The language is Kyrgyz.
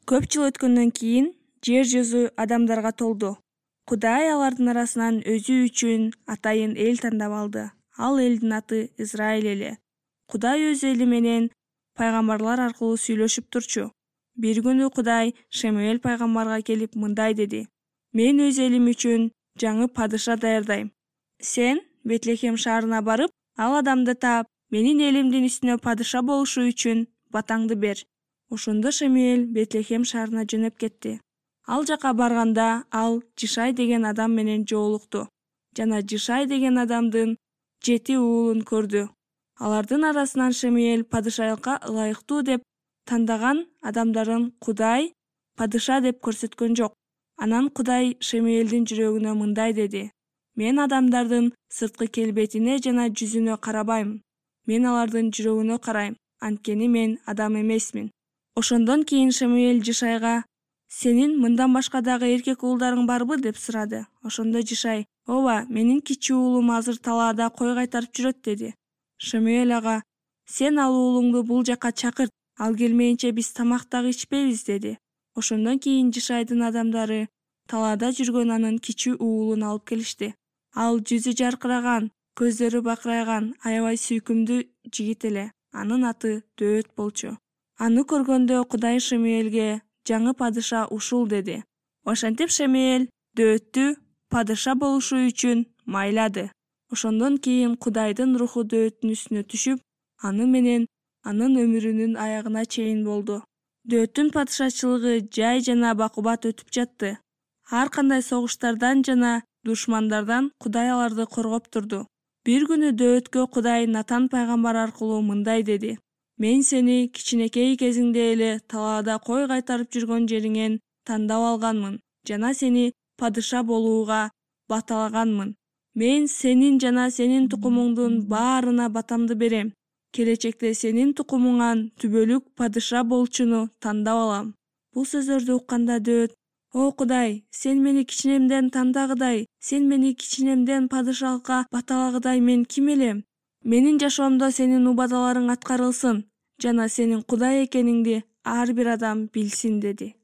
Көп жыл өткөндөн кийин жер жүзү адамдарга толду. Кудай алардын арасынан өзү үчүн атайын эл тандап алды. Ал элдин аты Израиль эли. Кудай өз эли менен пайгамбарлар аркылуу сүйлөшүп турчу. Бир күнү Кудай Шамуэль пайгамбарга келип мындай деди: "Мен өз элим үчүн жаңы падыша даярдайм. Сен Бетлехем шаарына барып, ал адамды таап, менин элимдин үстүнө падыша болушу үчүн батаңды бер." Ошондо Шамуэль Бетлехем шаарына жөнөп кетти. Ал жака барганда ал Жишай деген адам менен жолукту жана Жишай деген адамдын 7 уулун көрдү. Алардын арасынан Шамуэль падышалыкка ылайыктуу деп тандаган адамдарын Кудай падыша деп көрсөткөн жок. Анан Кудай Шамуэлдин жүрөгүнө мындай деди: "Мен адамдардын сырткы келбетине жана жүзүнө карабайм. Мен алардын жүрөгүнө карайм, анткени мен адам эмесмин." Ошондон кийин Шамуэль Жишайга: "Сенин мындан башка дагы эркек уулдарың барбы?" деп сурады. Ошондо Жишай: "Ооба, менин кичүү уулум азыр талаада кой кайтарып жүрөт" деди. Шамуэль ага: "Сен ал уулуңду бул жака чакырт, ал келмейинче биз тамак дагы ичпейбиз" деди. Ошондон кийин Жишайдын адамдары талаада жүргөн анын кичүү уулун алып келишти. Ал жүзү жаркыраган, көздөрү бакырайган, аябай сүйкүмдүү жигит эле. Анын аты Дөөт болчу. Аны көргөндө Кудай Шамуэльге: "Жаңы падыша ушул" деди. Ошентип Шамуэль Дөөттү падыша болушу үчүн майлады. Ошондон кийин Кудайдын руху Дөөттүн үстүнө түшүп, аны менен анын өмүрүнүн аягына чейин болду. Дөөттүн падышачылыгы жай жана бакубат өтүп жатты. Ар кандай согуштардан жана душмандардан Кудай аларды коргоп турду. Бир күнү Дөөткө Кудай Натан пайгамбар аркылуу мындай деди: "Мен сени кичинекей кезиңде эле талаада кой кайтарып жүргөн жериңен тандап алганмын жана сени падыша болууга баталаганмын. Мен сенин жана сенин тукумуңдун баарына батамды берем. Келечекте сенин тукумуңан түбөлүк падыша болчуну тандап алам." Бул сөздөрдү укканда Дөөт: "О Кудай, сен мени кичинемден тандагыдай, сен мени кичинемден падышалыкка баталагыдай мен ким элем? Менин жашоомдо сенин убадаларың аткарылсын жана сенин Кудай экениңди ар бир адам билсин" деди.